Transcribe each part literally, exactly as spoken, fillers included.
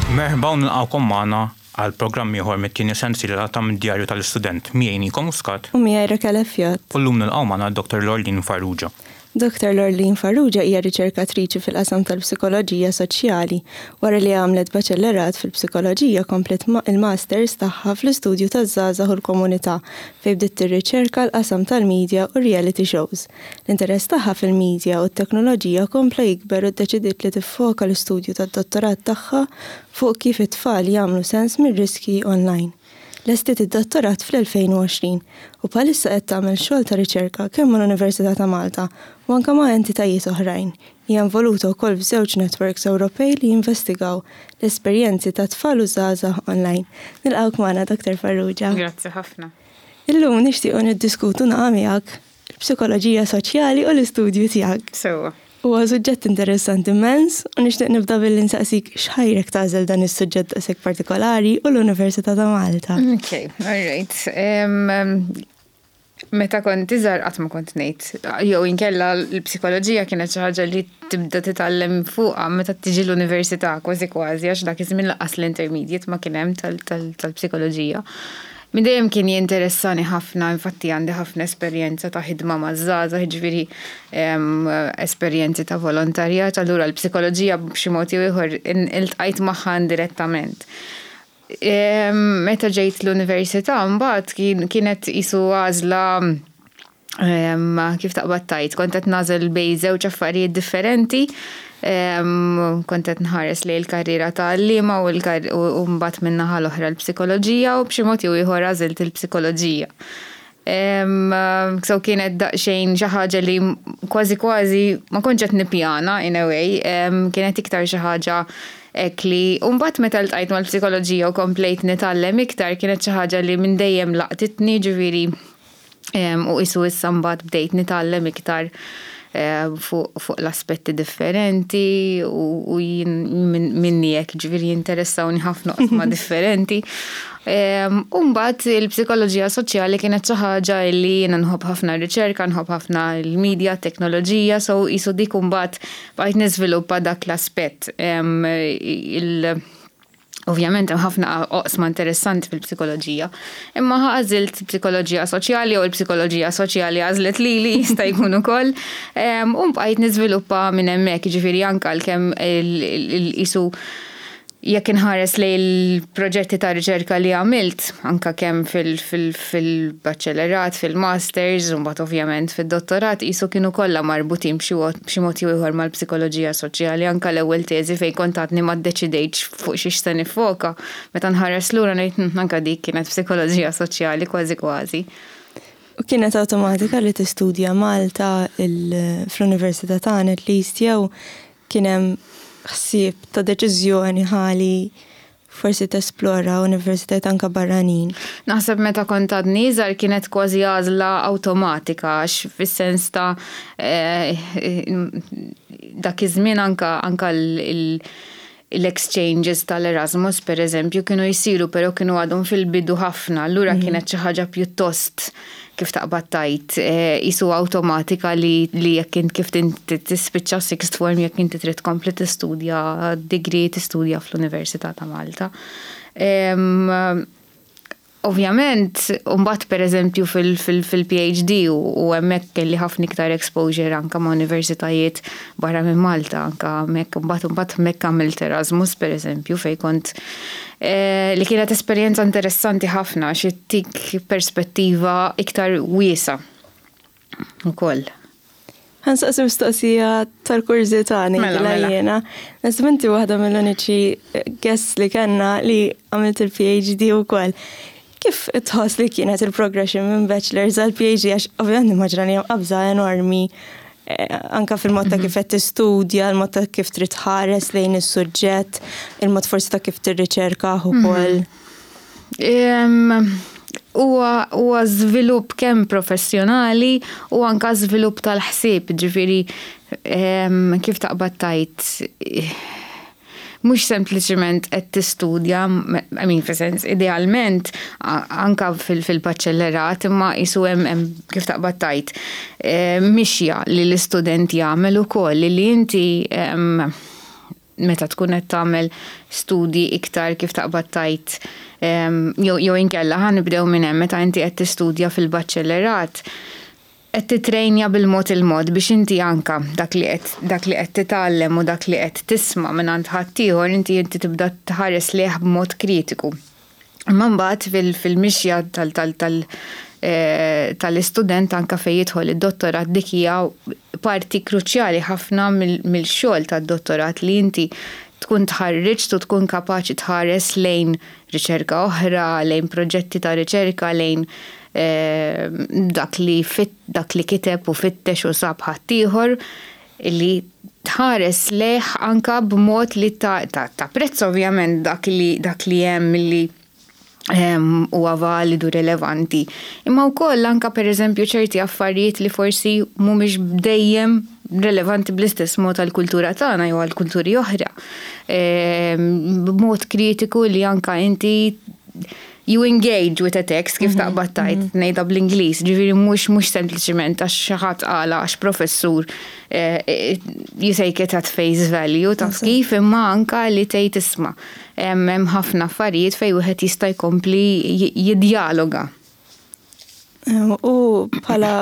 Merħba u nilqgħukom magħna għal programm ieħor mit-tieni sensiela ta' mid-djarju tal-istudent, miegħi Nico Muscat. U miegħi Raquel Fjot. U llum nilqgħu magħna Doctor Lorleen Farrugia. Doctor Lorleen Farrugia hija riċerkatriċi fil-qasam tal-psikoloġija soċjali. Wara li għamlet baċellerat fil-psikoloġija, komplet il-masters tagħha fl-istudju taż-żgħażagħ u l-komunità, fejn bdiet tirriċerka l-qasam tal-media u reality shows. L-interess tagħha fil-media u t-teknoloġija kompla jikber u ddeċidiet li tiffoka l-istudju tad-dottorat tagħha fuq kif it-tfal jagħmlu sens mir-riski online. Lestiet id-dottorat fl-elfejn u għoxrin u bħalissa qed tagħmel xogħol ta' riċerka kemm mal-Università ta' Malta u anke ma' entitajiet oħrajn. Hija involuta wkoll f'żewġ networks Ewropej li jinvestigaw l-esperjenzi ta' tfal u żgħażagħ online. Nilqgħuk magħna, Doctor Farrugia. Grazzi ħafna. Illum nixtiequ niddiskutu naqa' miegħek il-psikoloġija soċjali u l-istudju tiegħek. Sewwa. Huwa suġġett interessanti immens u nixtieq nibda billi nsaqsik x'ħajrek tagħżel dan is-suġġett daqshekk partikolari u l-Università ta' Malta. Ok, all right. Um, meta kont iżgħar qatt ma kont ngħid. Jew inkella l-psikoloġija kienet xi ħaġa li tibda titgħallem fuqha meta tiġi l-università kważi kważi, għax dak iż-żmien lanqas l-intermediate ma kien hemm tal-psikoloġija. Minn dejjem kien jinteressani ħafna, infatti għandi ħafna esperjenza ta' ħidma ma' żgħażagħ, ġifieri esperjenzi ta' volontarjat, allura l-psikoloġija b'xi mod jew ieħor iltqajt magħha indirettament. Meta ġejt l-università mbagħad kienet qisu għażla, kif taqbad tgħid, kont qed nagħżel bejn żewġ affarijiet differenti. Kont qed nħares lejn il-karriera ta' għalliema u mbagħad min-naħa l-oħra l-psikoloġija, u b'xi mod jew ieħor għażilt il-psikoloġija. So kienet daqsxejn xi ħaġa li kważi kważi ma kontx qed nippjana in a way, kienet iktar xi ħaġa hekk li u mbagħad meta ltqajt mal-psikoloġija u komplejt nitgħallem iktar, kienet xi ħaġa li minn dejjem laqtitni, ġifieri u qisu issa mbagħad bdejt nitgħallem iktar fuq l-aspetti differenti u jien minni hekk, ġifieri jinteressawni ħafna oqsma differenti. U mbagħad il-psikoloġija soċjali kienet xi ħaġa li jiena nħobb ħafna r-riċerka, nħobb ħafna l-media, teknoloġija, so qisu dik mbagħad bqajt niżviluppa dak l-aspett. Ovvjament hemm ħafna oqsma interessanti fil-psikoloġija, imma għażilt psikoloġija soċjali u l-psikoloġija soċjali għażlet lili, jista' jkun ukoll. U bqajt niżviluppa minn hemmhekk, jiġifieri anke għalkemm qisu jekk inħares lejn il-proġetti ta' riċerka li għamilt, anka kemm fil-baċellerat, fil-masters, u mbagħad ovvjament fid-dottorat, qisu kienu kollha marbutin b'xi mod jew ieħor mal-psikoloġija soċjali. Anka l-ewwel teżi, fejn kont għadni ma ddeċidejtx fuq xiex se nifoka, meta nħares lura ngħid anka dik kienet psikoloġija soċjali kważi kważi. U kienet awtomatika li tistudja Malta fl-Università tagħna at least, jew kien hemm ħsieb ta' deċiżjoni ħali forsi tesplora universitajt anka barranin? Naħseb meta kont għadni iżgħar kienet kważi għażla awtomatika, għax fis-sens ta' dak iż-żmien anka anka l-exchanges tal-Erasmus per eżempju kienu jsiru, però kienu għadhom fil-bidu ħafna, allura kienet xi ħaġa pjuttost, kif taqbad tgħid, qisu awtomatika li li jekk int kif tispiċċa sixth form, jekk inti trid tkompli tistudja degree, tistudja fl-Università ta' Malta. Ovvjament, mbagħad per eżempju fil-P H D u hemmhekk kelli ħafna iktar exposure anka ma' universitajiet barra minn Malta, anka hemmhekk mbagħad mbagħad hemmhekk għamilt Erasmus per eżempju, fejn kont li kienet esperjenza interessanti ħafna għax ittik perspettiva iktar wiesgħa ukoll. Ħa nsaqsi mistoqsija tal-kurżità Mela, mela. Jiena. Naħseb inti waħda mill-uniċi guests li kellna li għamilt il-P H D ukoll. Kif tħoss li kienet il-progression minn bachelor's għal P H D? Għax ovvjament nimmaġina li hemm qabża enormi anka fil-mod ta' kif qed tistudja, il-mod ta' kif trid tħares lejn is-suġġett, il-mod forsi ta' kif tirriċerka ukoll. Huwa żvilupp kemm professjonali u anka żvilupp tal-ħsieb, ġifieri kif taqbad tgħid, mhux sempliċement qed tistudja, I mean, fis-sens idealment anka fil-baċellerat, imma qisu hemm, kif taqbad tgħid, mixja li l-istudent jagħmel ukoll li inti meta tkun qed tagħmel studji iktar, kif taqbad tgħid, jew jew inkella ħa nibdew minn hemm, meta inti qed tistudja fil-baċċellerat, qed titrejnja bil-mod il-mod biex inti anka dak li qed dak li qed titgħallem u dak li qed tisma' minn għand ħaddieħor, inti inti tibda tħares lejh b'mod kritiku. Imma mbagħad fil-mixja tal tal tal eh, tal-istudent, anka fejn jidħol id-dottorat, dik hija parti kruċjali ħafna mill-xogħol tad-dottorat, li inti tkun tħarriġt u tkun kapaċi tħares lejn riċerka oħra, lejn proġetti ta' riċerka, lejn eh, dak li fit, dak li kiteb u fittex u sab ħaddieħor, li tħares lejh anka b'mod li ta', ta, ta prezz ovvjament dak li dak li hemm li huwa validu, relevanti. Imma wkoll anka, pereżempju, ċerti affarijiet li forsi mhumiex dejjem relevanti bl-istess mod għal-kultura tagħna jew għal-kulturi oħra. B'mod kritiku li anka inti you engage with a text, kif mhm, taqbad tgħid, mhm. ngħidha bl-Ingliż, ġifieri mhux mhux sempliċiment għax xi ħadd qala, għax professur, eh, eh, you take it at face value, taf kif, imma anka li tgħid, isma', hemm ħafna affarijiet fejn wieħed jista' jkompli jidjaloga. U bħala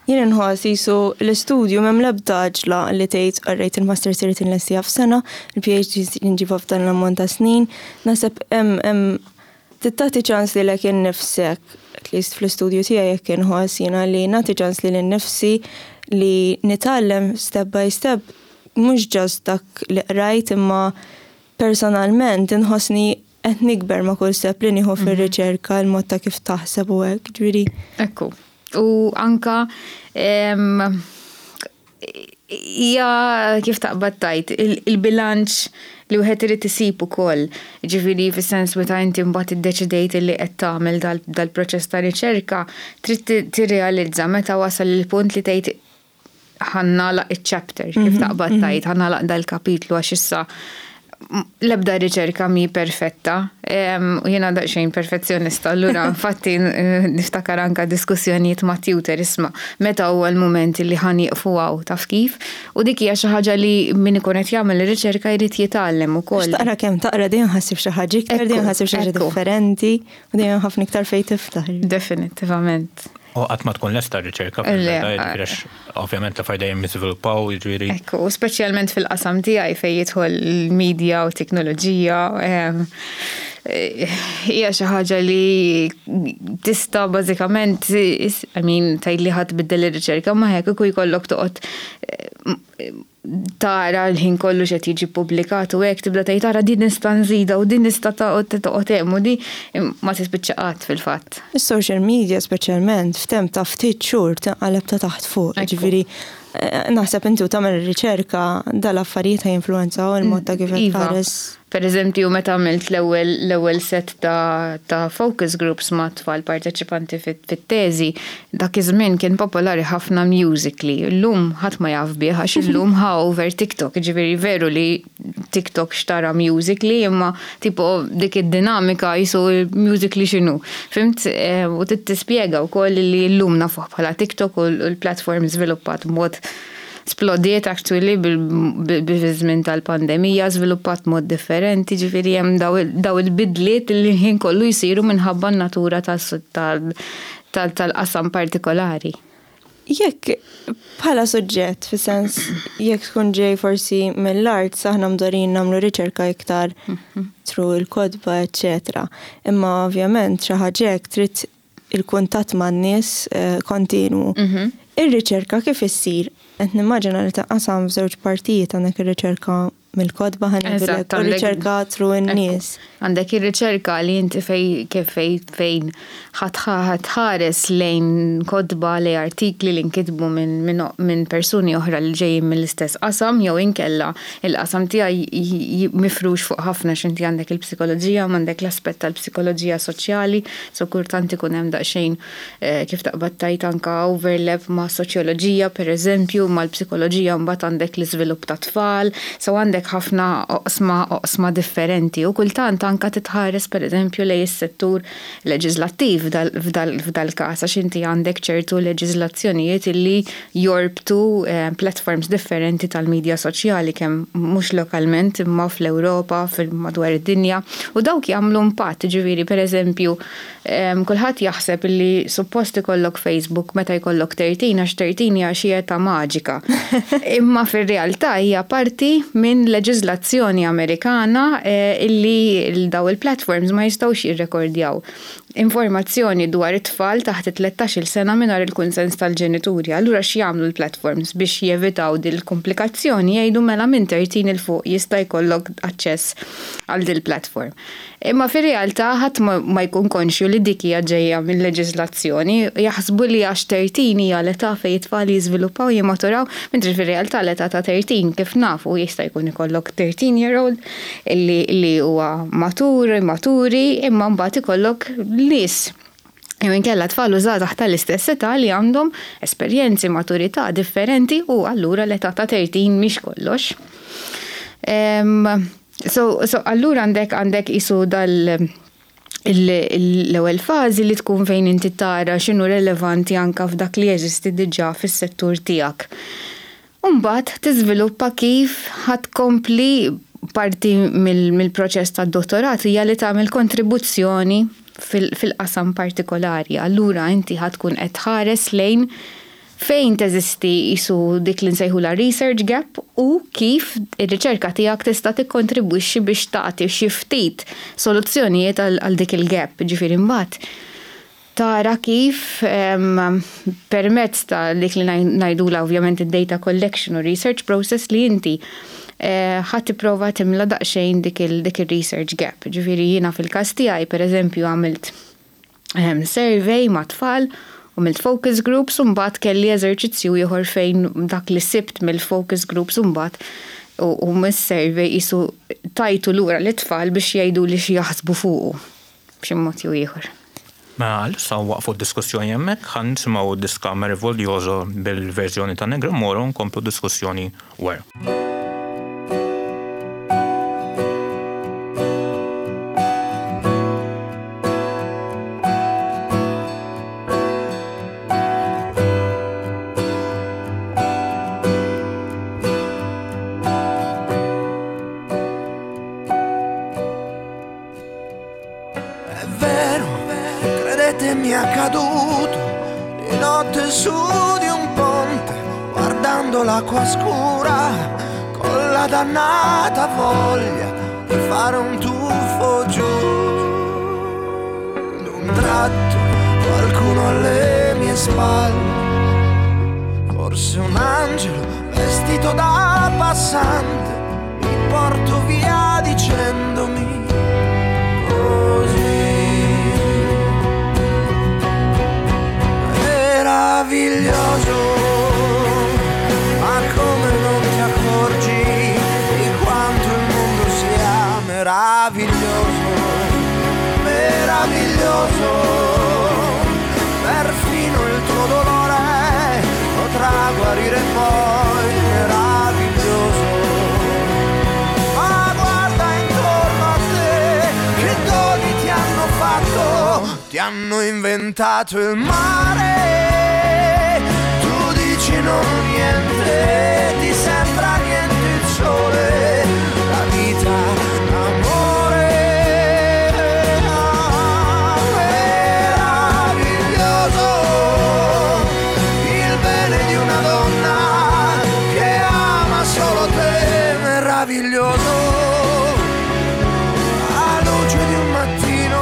jien inħoss jisu l-istudju m'hemm l-ebda għaġla li tgħid, "Alright, il-master irid inlestiha f'sena, il-P H D nġibha f'dan l-ammont ta' snin." Naħseb hemm tagħti ċans lilek innifsek, at least fl-istudju tiegħi jekk inħoss jiena li nagħti ċans lili nnifsi li nitgħallem step by step, mhux just dak li qrajt, imma personalment inħossni qed nikber ma' kull step li nieħu fir-riċerka, il-mod ta' kif taħseb u hekk, ġifieri. Ekku. U anka hija, kif taqbad tgħid, il-bilanċ li wieħed irid isib ukoll. Ġifieri fis-sens meta inti mbagħad iddeċidejt li qed tagħmel dal-proċess ta' riċerka, trid tirrealizza meta wasal il-punt li tgħid, "Ħa nagħlaq iċ-chapter", kif mhm, taqbad mhm. tgħid, "ħa nagħlaq dal-kapitlu", għax issa l-ebda riċerka mi perfetta. U jiena daqsxejn perfezzjonista, allura infatti niftakar anka diskussjonijiet ma' tutor, "Isma', meta huwa l-moment li ħa nieqfu hawn?" taf kif? U dik hija xi ħaġa li min ikun qed jagħmel ir-riċerka jrid jitgħallem ukoll. Taqra kemm taqra, dejjem ħa ssib xi ħaġa iktar, dejjem ħa ssib xi ħaġa differenti u dejjem ħafna iktar fejn tiftaħ. Definitivament. U qatt ma tkun lesta r-riċerka, ovvjament l dejjem jiżviluppaw, jiġifieri. Ekku, speċjalment fil-qasam tiegħi fejn jidħol il-media u teknoloġija, hija xi ħaġa li tista' bażikament, I mean, tgħid li ħadd biddel ir-riċerka, ma hekk ikun jkollok toqgħod tara l-ħin kollu x'qed jiġi publikat u hekk, tibda tgħid, "Tara, din nista' nżida u din nista' toqgħod hemm u di", ma tispiċċa qatt fil-fatt. Is-social media speċjalment f'temp ta' ftit xhur tinqaleb ta' taħt fuq, ġifieri eh, naħseb inti u tagħmel riċerka, dal-affarijiet jinfluwenzaw il-mod ta' kif qed iva. tħares. Per eżempju, meta għamilt l-ewwel l-ewwel set ta', ta' focus groups ma' tfal parteċipanti fit-teżi, dak iż-żmien kien popolari ħafna Musical.ly. Illum ħadd ma jaf bih għax illum ħa over TikTok. Ġifieri veru li TikTok xtara Musical.ly, imma tipo dik id-dinamika jisu Musical.ly x'inhu. Fhimt? Eh, u tispjega wkoll li llum nafuh bħala TikTok u l-platform żviluppat b'mod splodiet actually bil-żmien tal-pandemija, żviluppat mod differenti, ġifieri hemm daw il-bidliet li ħin kollu jsiru minħabba n-natura tal-qasam partikolari. Jekk bħala suġġett, fi sens jekk tkun ġej forsi mill-art, aħna mdorrijin nagħmlu riċerka iktar mhm. through il-kotba, eccetera. Imma ovvjament xi ħaġa trid il-kuntatt man-nies eh, kontinu. Mhm. Ir-riċerka kif issir? Qed nimmaġina li taqasam f'żewġ partijiet: għandek ir-riċerka mill-kotba, ħa ngħidulek, u riċerka through in-nies. Għandek ir-riċerka li inti fej kif fej fejn ħa tħares lejn kotba, li artikli li nkitbu minn min, min persuni oħra li ġejjin mill-istess qasam, jew inkella il-qasam tiegħi mifrux fuq ħafna, x'inti għandek il-psikoloġija, għandek l-aspett tal-psikoloġija soċjali, so kultant ikun hemm daqsxejn eh, kif taqbad tgħid, anka overlap ma' soċjoloġija, per eżempju, mal-psikoloġija, mbagħad għandek l-iżvilupp ta' tfal, so għandek għandek ħafna oqsma oqsma differenti u kultant anka titħares pereżempju lejn is-settur leġislattiv f'dal-każ għax inti għandek ċertu leġiżlazzjonijiet illi jorbtu eh, platforms differenti tal-medja soċjali kemm mhux lokalment imma fl-Ewropa, madwar id-dinja u dawk jagħmlu impatt, ġifieri pereżempju kulħadd jaħseb illi suppost ikollok Facebook meta jkollok tlettax għax tlettax hija xi età maġika. Imma fir-realtà hija parti minn leġiżlazzjoni Amerikana eh, illi daw il-platforms ma jistgħux jirrekordjaw informazzjoni dwar it-tfal taħt tlettax-il sena mingħajr il-kunsens tal-ġenituri. Allura x'jagħmlu l-platforms biex jevitaw dil-komplikazzjoni jgħidu mela minn tlettax 'il fuq jista' jkollok aċċess għal dil-platform. Imma fir-realtà ħadd ma jkun konxju li dik hija ġejja minn leġiżlazzjoni, jaħsbu li għax tlettax hija l-età fejn it-tfal jiżviluppaw jimmaturaw, mentri fir-realtà l-età ta' tlettax kif nafu jista' jkun ikollok thirteen year old li li huwa matur, maturi, imma mbagħad ikollok nies jew inkella tfal u żgħażagħ tal-istess età li għandhom esperjenzi maturità differenti u allura l-età ta' tlettax mhix kollox. Um, so, so allura għandek għandek isu dal l-ewwel fażi li tkun fejn inti tara x'inhu relevanti anka f'dak li jeżisti diġà fis-settur tiegħek. Umbagħad tiżviluppa kif ħa tkompli parti mill-proċess tad-dottorat hija li tagħmel kontribuzzjoni fil-qasam partikolari. Allura inti ħa tkun qed tħares lejn fejn teżisti isu dik li nsejħu la research gap u kif ir-riċerka tiegħek tista' tikkontribwixxi biex tagħti xi ftit soluzzjonijiet għal dik il-gap. Ġifieri mbagħad tara kif permezz ta' dik li ngħidula ovvjament id-data collection u research process li inti eh, ħa tipprova timla daqsxejn dik il-research gap. Ġifieri jiena fil-każ tiegħi pereżempju għamilt survey ma' tfal u għamilt focus groups u mbagħad kelli eżerċizzju ieħor fejn dak li sibt mill-focus groups u mbagħad u mis-survey isu tajtu lura l-tfal biex jgħidu li xi jaħsbu fuqu b'xi mod jew ieħor. Ma issa waqfu d-diskussjoni hemmhekk, ħa nisimgħu diska Meraviglioso bil-verżjoni ta' Negramaro nkomplu diskussjoni wara. Credetemi accaduto di notte su di un ponte, guardando l'acqua scura con la dannata voglia di fare un tuffo giù. D'un tratto qualcuno alle mie spalle, forse un angelo vestito da passante, mi porto via dicendomi così. Meraviglioso, ma come non ti accorgi di quanto il mondo sia meraviglioso, meraviglioso, perfino il tuo dolore potrà guarire poi, meraviglioso. Ma guarda intorno a te, che doni ti hanno fatto, ti hanno inventato il mare. Non niente, ti sembra niente il sole, la vita, l'amore. Ah, meraviglioso, il bene di una donna che ama solo te, meraviglioso. La luce di un mattino,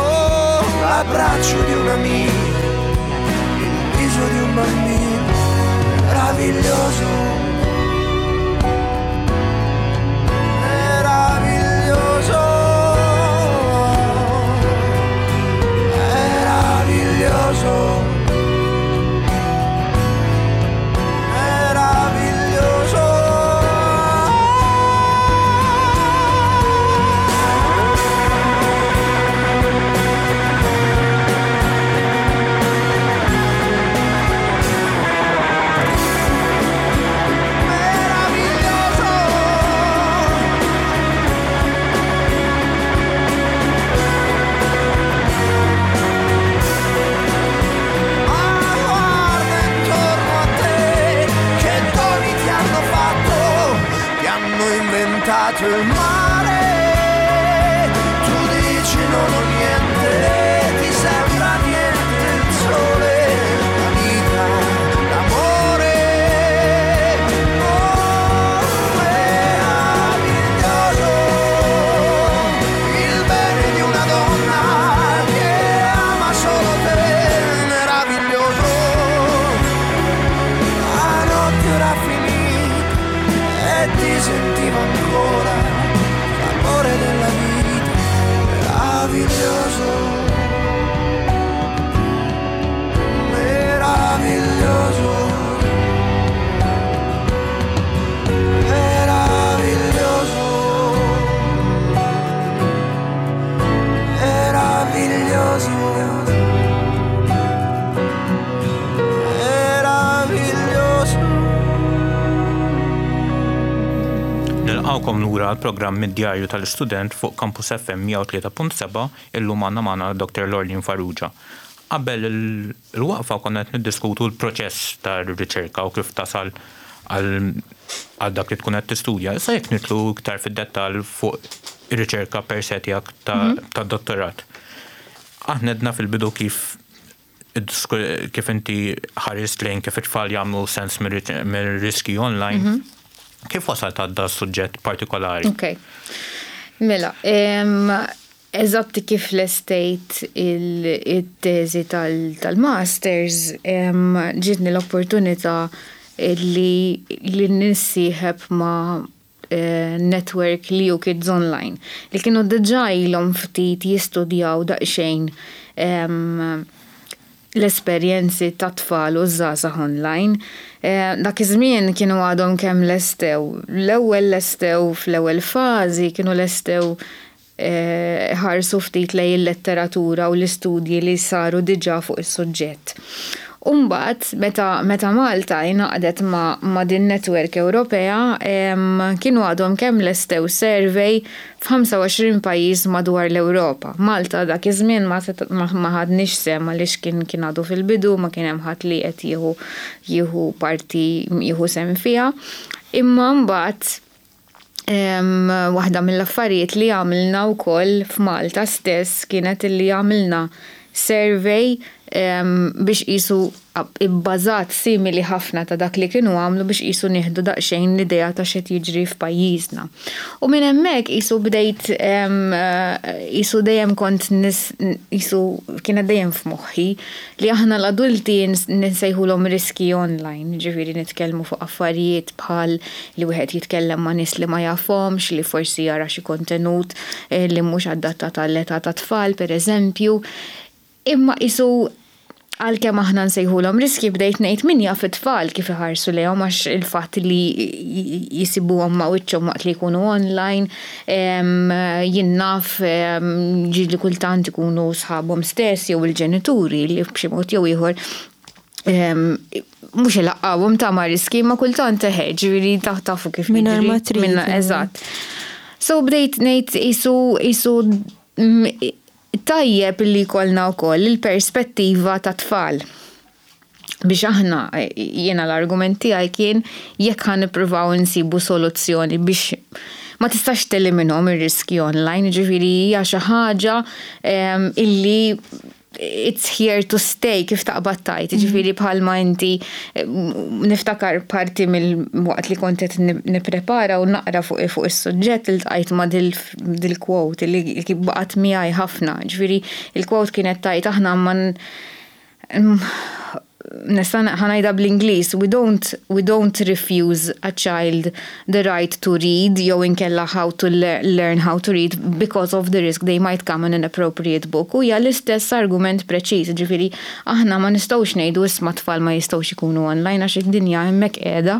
l'abbraccio di un amico, il viso di un bambino. Meraviglioso, meraviglioso, meraviglioso, meraviglioso. Sento il mare. Tu dici non ho niente, ti sembra niente il sole, la vita, l'amore. Oh, meraviglioso, il bene di una donna che ama solo te, meraviglioso. La notte era finita e ti sentivo ancora, l'amore della vita, meraviglioso, meraviglioso, meraviglioso, meraviglioso, meraviglioso. Nilqawkom lura għal programm mid-djarju tal-istudent fuq Campus F M mija u tlieta punt seba'. Illum għandna magħna Doctor Lorleen Farrugia. Qabel il-waqfa konna qed niddiskutu l-proċess tar-riċerka u kif tasal għal għal dak li tkun qed tistudja. Issa jekk nidħlu iktar fid-dettall fuq ir-riċerka per se tiegħek ta' ta' dottorat. Aħna għedna fil-bidu kif id-disku- kif inti ħarist lejn kif it-tfal jagħmlu sens mir-riski online. Kif wasalt għal da suġġett partikolari? Ok. Mela, em, eżatti kif lestejt il-teżi tal-masters, em, ġitni l-opportunità li, li nissieħeb ma' eh, network L E U Kids Online, li kienu diġà ilhom ftit jistudjaw daqsxejn em, l-esperjenzi ta' tfal u żgħażagħ online. Eh, Dak iż-żmien kienu għadhom kemm lestew. L-ewwel lestew fl-ewwel fażi kienu lestew eh, ħarsu ftit lejn il-letteratura u l-istudji li saru diġà fuq is-suġġett. Umbagħad, meta, meta Malta ingħaqdet ma, ma din network Ewropea, em, kienu għadhom kemm lestew survey f'ħamsa u għoxrin pajjiż madwar l-Ewropa. Malta dak iż-żmien ma, set- ma, ma ħadniex sehem għaliex kien kien għadu fil-bidu, ma kien hemm ħadd li qed jieħu jieħu parti, jieħu sehem fiha. Imma mbagħad Em, waħda mill-affarijiet li għamilna wkoll f'Malta stess kienet li għamilna survey em, biex qisu ibbażat simili ħafna ta' dak li kienu għamlu biex qisu nieħdu daqsxejn l-idea ta' x'qed jiġri f'pajjiżna. U minn hemmhekk qisu bdejt em, eh, qisu dejjem kont nis, qisu kienet dejjem f'moħħi li aħna l-adulti nsejħulhom riski online, ġifieri nitkellmu fuq affarijiet bħal li wieħed jitkellem ma' nies li ma jafhomx, li forsi jara xi kontenut eh, li mhux adattat għall-età ta' tfal, per eżempju. Imma qisu għalkemm aħna nsejħulhom riski, bdejt ngħid min jaf it-tfal kif iħarsu lejhom, għax il-fatt li jisibuhom ma' wiċċhom waqt li jkunu online, em, jien naf em, ġieli kultant ikunu sħabhom stess jew il-ġenituri li b'xi mod jew ieħor em, mhux ilaqqawhom ta' ma' riski, ma kultant eħe, ġifieri ta' tafu kif Mingħajr jiġri. ma trid, Minna- Eżatt. So bdejt ngħid qisu qisu mm, tajjeb li jkollna wkoll il-perspettiva ta' tfal. Biex aħna, jiena l-argument tiegħi kien jekk ħa nippruvaw nsibu soluzzjoni biex ma tistax teliminhom ir-riski online, ġifieri hija xi ħaġa em, illi it's here to stay, kif taqbad tgħid, ġifieri bħalma inti eh, niftakar parti mill-waqt li kont qed nipprepara u naqra fuq fuq is-suġġett iltqajt ma' dil-quote li baqgħet miegħi ħafna. Ġifieri il-quote kienet tgħid aħna ma nista' ħa ngħidha bl-Ingliż, we don't, we don't refuse a child the right to read jew inkella how to learn how to read because of the risk they might come in an inappropriate book. U hija l-istess argument preċiż, ġifieri aħna ma nistgħux ngħidu isma' tfal ma jistgħux ikunu online għax id-dinja hemmhekk qiegħda,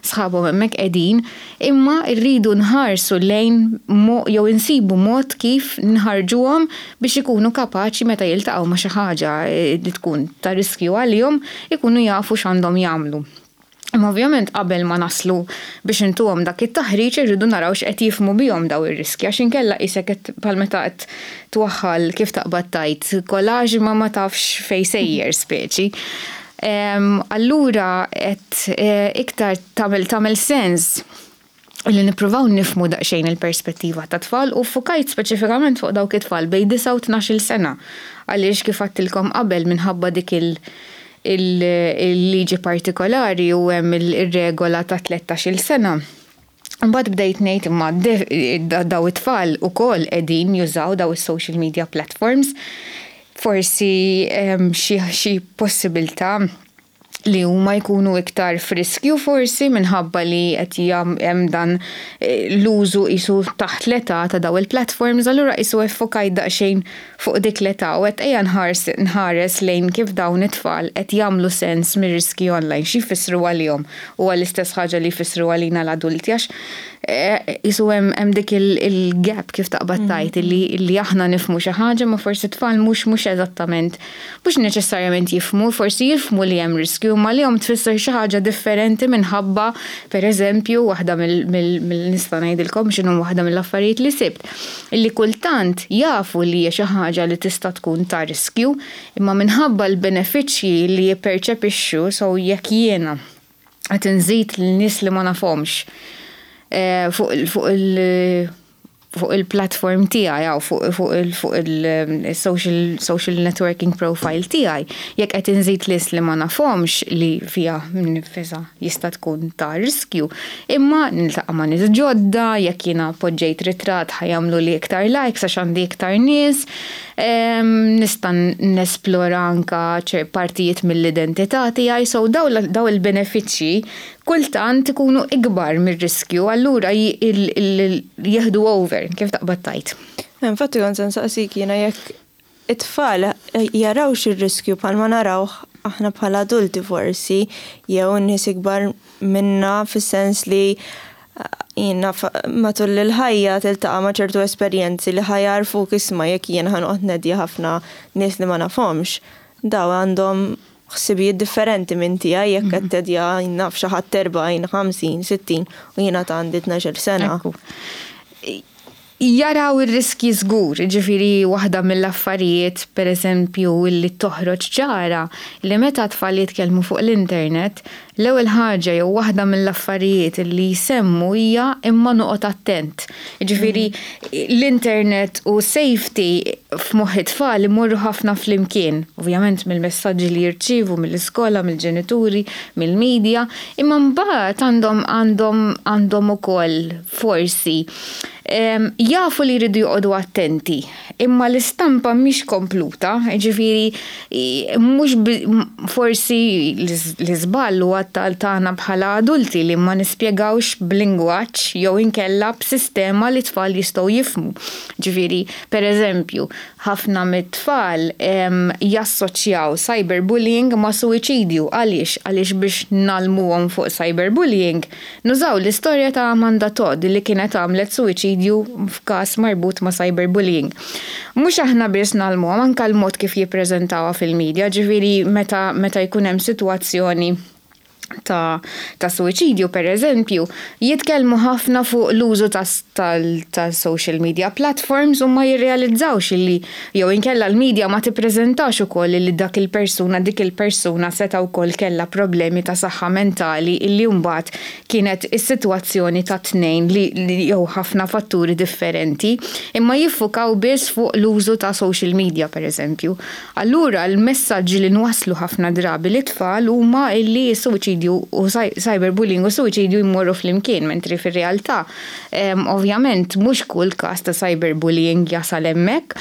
sħabhom hemmhekk qegħdin, imma rridu nħarsu lejn jew insibu mod kif nħarġuhom biex ikunu kapaċi meta jiltaqgħu ma' xi ħaġa li tkun ta' riskju għalihom ikunu jafu x'għandhom jagħmlu. Imma ovvjament qabel ma naslu biex intuhom dak it-taħriġ irridu naraw x'qed jifhmu bihom daw ir-riski, għax inkella qisek qed bħal meta qed twaħħal, kif taqbad tgħid, collage ma ma tafx fejn sejjer speċi. Allura qed iktar tagħmel tagħmel sens Illi nippruvaw nifhmu daqsxejn il-perspettiva ta' tfal u ffukajt speċifikament fuq dawk it-tfal bejn disgħa u tnax-il sena. Għaliex, kif għedtilkom qabel, minħabba dik il- il-liġi partikolari u hemm il-regola ta' tlettax-il sena. Mbagħad bdejt ngħid, imma daw it-tfal ukoll qegħdin jużaw daw is-social media platforms. Forsi xi possibilità li huma jkunu iktar f'riskju, forsi minħabba li qed hemm dan eh, l-użu qisu taħt l-età ta' daw il-platforms, allura qisu iffukajt daqsxejn fuq dik l-età u qed ejja nħares lejn kif dawn it-tfal qed jagħmlu sens mir-riski online, xi jfissru għalihom u għall-istess ħaġa li jfissru għalina l-adulti, għax eh, qisu hemm dik il-gap, kif taqbad mm. tgħid, li aħna nifhmu xi ħaġa ma forsi tfal mhux mhux eżattament, mhux neċessarjament jifhmu, forsi jifhmu li hemm riskju, ma li għalihom tfisser xi ħaġa differenti minħabba, per eżempju, waħda mill-nista' ngħidilkom x'inhu waħda mill-affarijiet li sibt. Illi kultant jafu li hija xi ħaġa li tista' tkun ta' riskju, imma minħabba l-benefiċċji li jipperċepixxu, so jekk jiena qed inżid lin-nies li ma nafhomx eh, fuq il- fuq il-platform tiegħi jew fuq fuq il-social social networking profile tiegħi, jekk qed inżid nies li ma nafhomx, li fiha nfisha jista' tkun ta' riskju, imma niltaqa' ma' nies ġodda, jekk jiena poġġejt ritratt ħa jagħmlu li iktar likes għax għandi iktar nies, nista' nesplora anka partijiet mill-identità tiegħi, so daw il-benefiċċji kultant ikunu ikbar mir-riskju, allura jieħdu over, kif taqbad tgħid. Infatti kont se nsaqsik jiena jekk it-tfal jarawx ir-riskju bħalma narawh aħna bħala adulti forsi, jew nies ikbar minna, fis-sens li jiena matul il-ħajja tiltaqa' ma' ċertu esperjenzi li ħa jgħarrfuk, isma', jekk jien ħa noqgħod neddja ħafna nies li ma nafhomx, daw għandhom ħsibijiet differenti minn tiegħi, jekk qed teddja, naf, xi ħadd erbgħin, ħamsin, sittin u jiena ta' għandi tnax-il sena. Jaraw ir-riski żgur, ġifieri waħda mill-affarijiet, per eżempju, li toħroġ ċara, li meta tfal jitkellmu fuq l-internet, l-ewwel ħaġa jew waħda mill-affarijiet li jsemmu hija "imma noqgħod attent". Ġifieri l-internet u safety f'moħħ it-tfal imorru ħafna flimkien, ovvjament mill-messaġġi li jirċievu mill-iskola, mill-ġenituri, mill-medja, imma mbagħad għandhom għandhom għandhom ukoll forsi jafu li jridu joqogħdu attenti, imma l-istampa mhix kompluta, ġifieri mhux forsi l-iżball huwa tagħna bħala adulti li ma nispjegawx b'lingwaġġ jew inkella b'sistema li tfal jistgħu jifhmu. Ġifieri, per eżempju, ħafna mit-tfal jassoċjaw cyberbullying ma' suwiċidju. Għaliex? Għaliex biex ngħallmuhom fuq cyberbullying, nużaw l-istorja ta' Amanda Todd li kienet għamlet suwiċidju f'każ marbut ma' cyberbullying. Mhux aħna biss ngħallmuhom, anka l-mod kif jippreżentawha fil-medja, ġifieri meta meta jkun hemm sitwazzjoni ta', ta' suwiċidju, per eżempju, jitkellmu ħafna fuq l-użu ta' social media platforms u ma jirrealizzawx li jew inkella l-media ma tippreżentax ukoll li dak il-persuna dik il-persuna seta' wkoll kella problemi ta' saħħa mentali, illi mbagħad kienet is-sitwazzjoni ta' tnejn li, li jew ħafna fatturi differenti, imma jiffukaw biss fuq l-użu ta' social media, per eżempju. Allura l-messaġġi li nwaslu ħafna drabi lit-tfal huma illi s-suwiċidju u cyberbullying u suwiċidju jmorru flimkien, mentri fir-realtà ovvjament mhux kull każ ta' cyberbullying jasal hemmhekk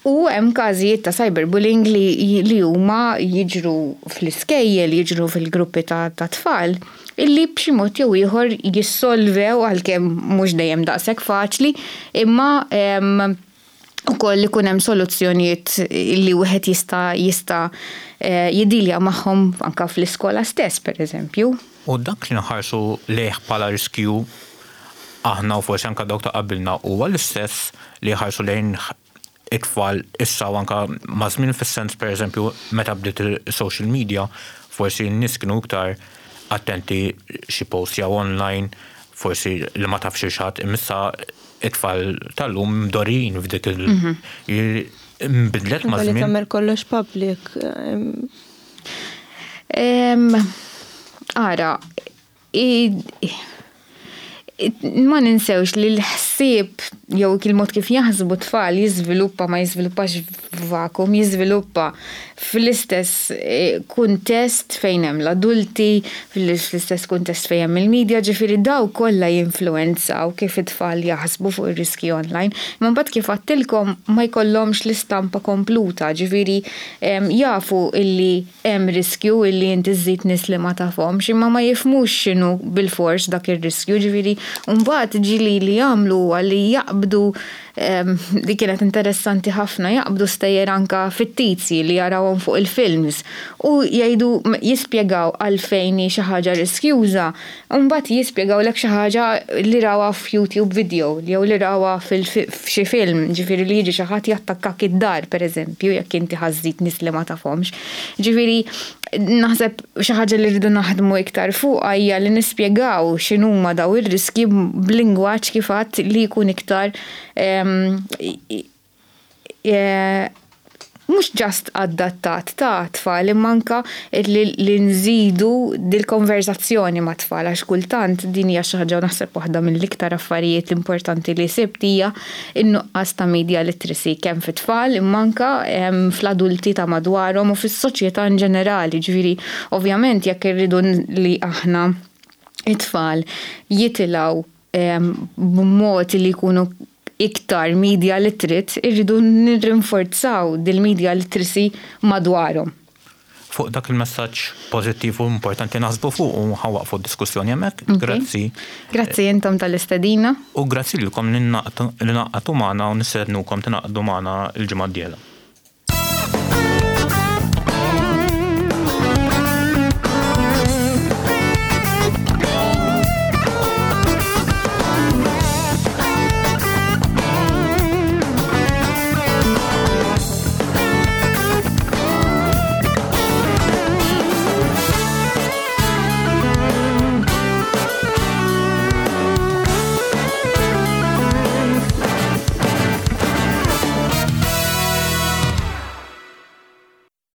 u hemm każijiet ta' cyberbullying li, li huma jiġru fl-iskejjel, jiġru fil-gruppi ta', ta' tfal illi b'xi mod jew ieħor jissolvew, għalkemm mhux dejjem daqshekk faċli, imma ukoll ikun hemm soluzzjonijiet li wieħed jista' jista' eh, jiddilja magħhom anka fl-iskola stess, per eżempju. U dak li nħarsu lejh bħala riskju aħna u forsi anka dawk ta' qabilna huwa l-istess li ħarsu lejn it-tfal issa u anka maż-żmien, fis-sens, per eżempju, meta bdiet il-social media, forsi n-nies kienu iktar attenti xi post jew online, forsi li ma tafx xi, imma issa it-tfal tal-lum mdorrijin f'dik il- mhm. Nbidlet ma' żmien. Tagħmel kollox public. Ara, Ma ninsewx li l-ħsieb jew il-mod kif jaħsbu tfal jiżviluppa, ma jiżviluppax f'vacuum, jiżviluppa fl-istess eh, kuntest fejn hemm l-adulti, fl-istess kuntest fejn hemm il-medja, ġifieri daw kollha jinfluwenzaw kif it-tfal jaħsbu fuq ir-riski online. Imma mbagħad, kif għedtilkom, ma jkollhomx l-istampa kompluta, ġifieri jafu illi hemm riskju illi inti żżid nies li ma tafhomx, imma ma jifhmux x'inhu bil-fors dak ir-riskju, ġifieri mbagħad ġieli li jagħmlu li jaqbdu, li kienet interessanti ħafna, jaqbdu stejjer anka fittizji li jarawhom fuq il-films u jgħidu, jispjegaw għalfejn xi ħaġa riskjuża, u mbagħad jispjegawlek xi ħaġa li rawha f'YouTube video jew li rawha f'xi film, ġifieri li jiġi xi ħadd jattakkak id-dar, pereżempju, jekk inti ħa żżid nies li ma tafhomx. Ġifieri naħseb xi ħaġa li rridu naħdmu iktar fuq hija li nispjegaw x'inhuma daw ir-riski b'lingwaġġ, kif għedt, li jkun iktar e, mhux just adattat ta' tfal, imma anka li, li nżidu dil-konverzazzjoni ma' tfal, għax kultant din hija xi ħaġa, naħseb waħda mill-iktar affarijiet importanti li sibt hija in-nuqqas ta' media literacy kemm fit-tfal imma anka fl-adulti ta' madwarhom u fis-soċjetà in ġenerali. Ġifieri ovvjament jekk irridu li aħna it-tfal jitilgħu b'mod li jkunu iktar media literate, irridu nirrinforzaw dil-media literacy madwarhom. Fuq dak il-messaġġ pożittiv u importanti naħsbu fuq u ħa nwaqqfu d-diskussjoni hemmhekk. Grazzi. Grazzi intom tal-istedina. U grazzi lilkom li ngħaqadtu magħna u nistednukom tingħaqdu magħna l-ġimgħa d-dieħla.